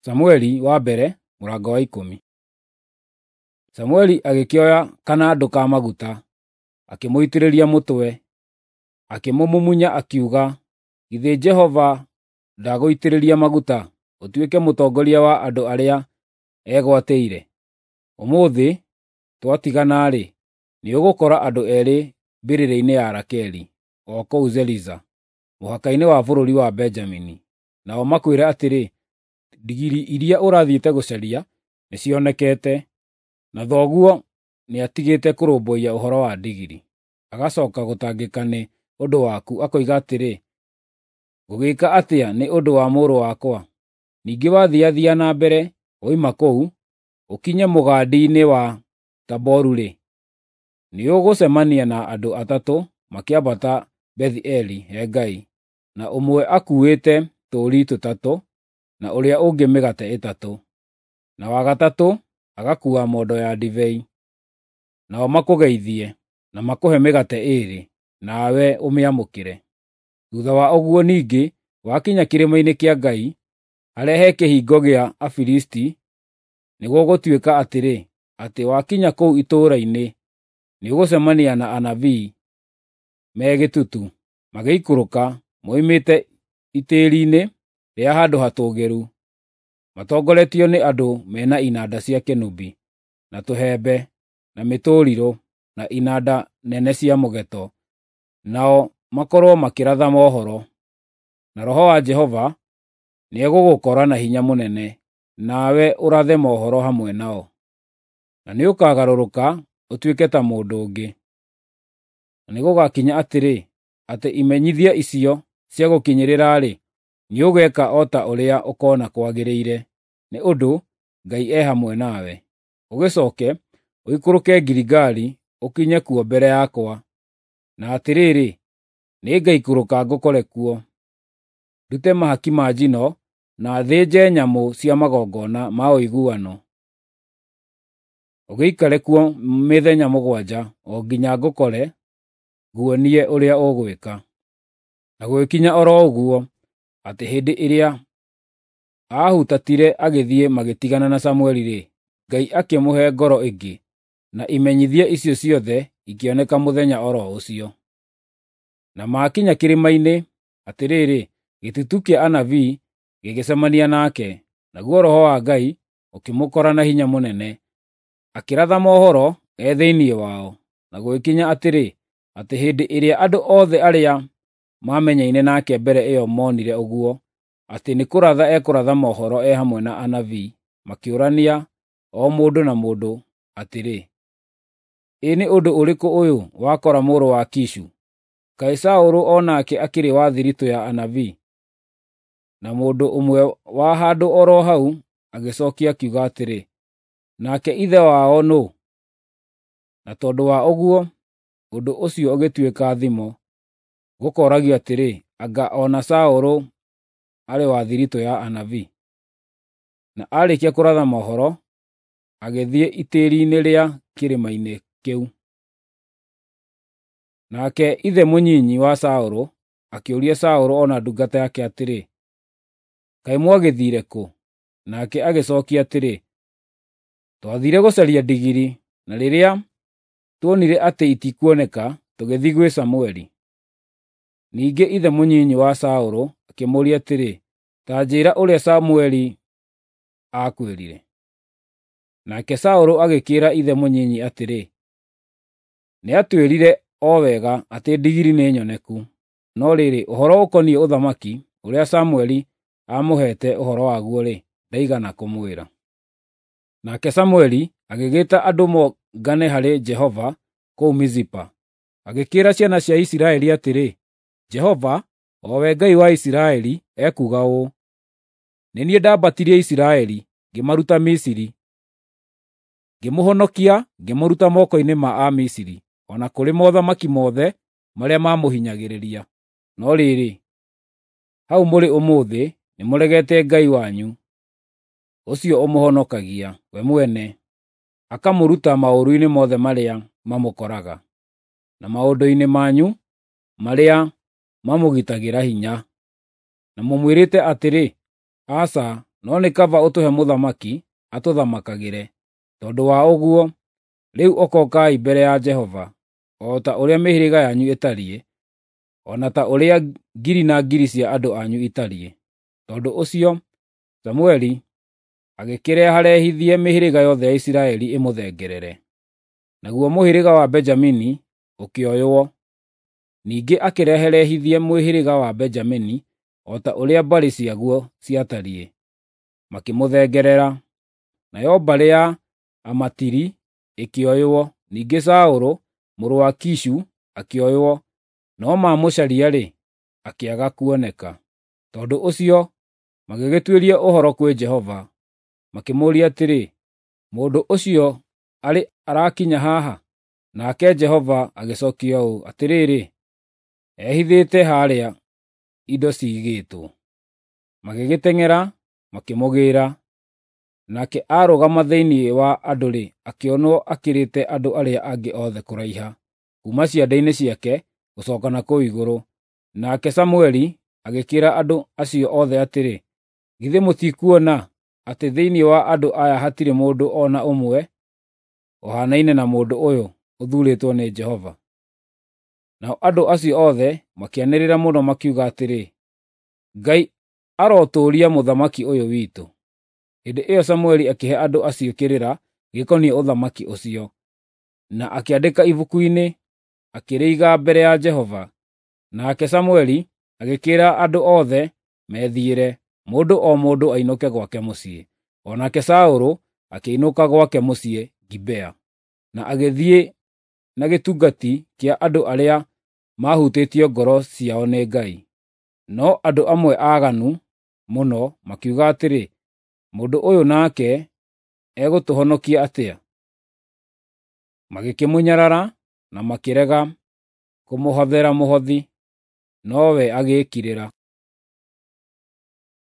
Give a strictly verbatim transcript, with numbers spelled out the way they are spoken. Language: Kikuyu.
Samueli wa mbere mũrango wa ikũmi. Samueli agĩkĩoya kanandũ ka maguta, akĩmũitĩrĩria mũtwe, akĩmũmumunya akiuga, “Githĩ Jehova ndagũitĩrĩria maguta, ũtuĩke mũtongoria wa andũ arĩa egwatĩire? Ũmũthĩ twatigana-rĩ, nĩũgũkora andũ eerĩ mbĩrĩra-inĩ ya Rakeli, o kũu Zeliza, mũhaka-inĩ wa bũrũri wa Benjamini. Nao makwĩre atĩrĩ, ‘Ndigiri iria ũrathiĩte gũcaria nĩcionekete, na thoguo nĩatigĩte kũrũmbũiya ũhoro wa ndigiri, agacooka gũtangĩka nĩ ũndũ waku, akoiga atĩrĩ, “Ngũgĩĩka atĩa nĩ ũndũ wa mũrũ wakwa?” Ningĩ wathiathia na mbere woima kũu, ũkinye mũgandi-inĩ wa Taboru-rĩ, nĩũgũcemania na andũ atatũ makĩambata Bethi-Eli he Ngai, na ũmwe akuuĩte tũũri tũtatũ, na ũrĩa ũngĩ mĩgate ĩtatũ, na wa gatatũ agakuua mondo ya ndibei. Nao makũgeithie, na makũhe mĩgate ĩĩrĩ, nawe ũmĩamũkĩre. Thuutha wa ũguo ningĩ wakinya kĩrĩma-inĩ kĩa Ngai, harĩa he kĩhingo gĩa Afilisti, nĩgũgũtuĩka atĩrĩ, atĩ wakinya kũu itũũra-inĩ, nĩũgũcemania na anabii me gĩtutu, magĩikũrũka moimĩte itĩĩri-inĩ rĩa handũ hatũũgĩru, matongoretio nĩ andũ mena inanda cia kĩnũbi, na tũhembe, na mĩtũrirũ, na inanda nene cia mũgeeto, nao makorwo makĩratha mohoro. Na Roho wa Jehova nĩegũgũkora na hinya mũnene, nawe ũrathe mohoro hamwe nao. Na nĩũkagarũrũka ũtuĩke ta mũndũ ũngĩ. Na nĩgũgakinya atĩrĩ, atĩ imenyithia icio ciagũkinyĩrĩra-rĩ, nĩũgeeka o ta ũrĩa ũkoona kwagĩrĩire, nĩ ũndũ Ngai e hamwe nawe. Ũgĩcooke ũikũrũke Giligali ũkinye kuo mbere yakwa, na atĩrĩrĩ, nĩngaikũrũka ngũkore kuo, ndute mahaki ma njino na thĩnje nyamũ cia magongona ma ũiguano. Ũgĩikare kuo mĩthenya mũgwanja o nginya ngũkore nguonie ũrĩa ũgwĩka. Na gũgĩkinya o ro ũguo, atĩ hĩndĩ ĩrĩa aahutatire agĩthiĩ magĩtigana na Samueli-rĩ, Ngai akĩmũhe ngoro ĩngĩ, na imenyithia icio ciothe ikĩoneka mũthenya o ro ũcio. Na maakinya kĩrĩma-inĩ, atĩrĩrĩ, gĩtutu kĩa anabii gĩgĩcemania nake, naguo Roho wa Ngai ũkĩmũkora na hinya mũnene, akĩratha mohoro e thĩinĩ wao. Na gũgĩkinya atĩrĩ, atĩ hĩndĩ ĩrĩa andũ othe arĩa maamenyaine nake mbere ĩyo monire ũguo, atĩ nĩ kũratha ekũratha mohoro e hamwe na anabii, makĩũrania o mũndũ na mũndũ atĩrĩ, “Ĩ nĩ ũndũ ũrĩkũ ũyũ wakora mũrũ wa Kishu? Kaĩ Saũlũ o nake akĩrĩ wa thiritũ ya anabii?” Na mũndũ ũmwe wa handũ o ro hau agĩcookia akiuga atĩrĩ, “Nake ithe wao nũũ?” Na tondũ wa ũguo, ũndũ ũcio ũgĩtuĩka thimo, gũkooragio atĩrĩ, “Anga o na Saũlũ arĩ wa thiritũ ya anabii?” Na aarĩkia kũratha mohoro, agĩthiĩ itĩĩri-inĩ rĩa kĩrĩma-inĩ kĩu. Nake ithe mũnyinyi wa Saũlũ akĩũria Saũlũ o na ndungata yake atĩrĩ, “Kaĩ mwagĩthiire kũ?” Nake agĩcookia atĩrĩ, “Twathiire gũcaria ndigiri, na rĩrĩa tuonire atĩ itikuoneka, tũgĩthiĩ gwĩ Samueli.” Ningĩ ithe mũnyinyi wa Saũlũ akĩmũũria atĩrĩ, “Ta njĩĩra ũrĩa Samueli aakwĩrire.” Nake Saũlũ agĩkĩĩra ithe mũnyinyi atĩrĩ, “Nĩatwĩrire o wega atĩ ndigiri nĩ nyoneku.” No rĩrĩ, ũhoro ũkoniĩ ũthamaki, ũrĩa Samueli aamũheete ũhoro waguo-rĩ, ndaigana kũmwĩra. Nake Samueli agĩgĩĩta andũ mongane harĩ Jehova kũu Mizipa, agĩkĩĩra ciana cia Isiraeli atĩrĩ, “Jehova, o we Ngai wa Isiraeli, ekuuga ũũ: Nĩ niĩ ndambatirie Isiraeli, ngĩmaruta Misiri, ngĩmũhonokia ngĩmũruta moko-inĩ ma Amisiri, o na kũrĩ mothamaki mothe marĩa maamũhinyagĩrĩria. No rĩrĩ, hau mũrĩ ũmũthĩ nĩmũregete Ngai wanyu, ũcio ũmũhonokagia we mwene, akamũruta maũru-inĩ mothe marĩa mamũkoraga, na maũndũ-inĩ manyu marĩa mamũgitagĩra hinya. Na mũmwĩrĩte atĩrĩ, ‘Aca, No nĩ kaba ũtũhe mũthamaki atũthamakagĩre. Tondũ wa ũguo, rĩu okokai mbere ya Jehova, o ta ũrĩa mĩhĩrĩga yanyu ĩtariĩ, o na ta ũrĩa ngiri na ngiri cia andũ anyu itariĩ. Tondũ ũcio Samũeli agĩkĩreharehithie mĩhĩrĩga yothe ya Isiraeli ĩmũthengerere. Naguo mũhĩrĩga wa Benjamini ũkĩoywo. Ningĩ akĩreherehithie mũhĩrĩga wa Benjamini o ta ũrĩa mbarĩ ciaguo ciatariĩ, makĩmũthengerera. Nayo mbarĩ ya Amatiri ĩkĩoywo. Ningĩ Saũlũ mũrũ wa Kishu akĩoywo, no maamũcaria-rĩ, akĩaga kuoneka. Tondũ ũcio magĩgĩtuĩria ũhoro kwĩ Jehova, makĩmũũria atĩrĩ, “Mũndũ ũcio arĩ arakinya haha?” Nake Jehova agĩcookia ũũ, “Atĩrĩrĩ, ehithĩte harĩa indo ciigĩtwo.” Magĩgĩteng'era makĩmũgĩĩra. Nake aarũgama thĩinĩ wa andũ-rĩ, akĩonwo akĩrĩte andũ arĩa angĩ othe kũraiha, kuuma ciande-inĩ ciake gũcooka na kũu igũrũ. Nake Samũeli agĩkĩĩra andũ acio othe atĩrĩ, “Githĩ mũtikuona atĩ thĩinĩ wa andũ aya hatirĩ mũndũ o na ũmwe ũhaanaine na mũndũ ũyũ ũthuurĩtwo nĩ Jehova?” Nao andũ acio othe makĩanĩrĩra mũno makiuga atĩrĩ, “Ngai arotũũria mũthamaki ũyũ witũ!” Hĩndĩ ĩyo Samũeli akĩhe andũ acio kĩrĩra gĩkoniĩ ũthamaki ũcio, na akĩandĩka ibuku-inĩ, akĩrĩiga mbere ya Jehova. Nake Samũeli agĩkĩĩra andũ othe methiĩre, mũndũ o mũndũ ainũke gwake mũciĩ. O nake Saũlũ akĩinũka gwake mũciĩ Gibea, na agĩthiĩ na gĩtungati kĩa andũ arĩa maahutĩtio ngoro ciao nĩ Ngai. No andũ amwe aaganu mũno makiuga atĩrĩ, “Mũndũ ũyũ nake egũtũhonokia atĩa?” Magĩkĩmũnyarara na makĩrega kũmũhothera mũhothi, nowe agĩĩkirĩra.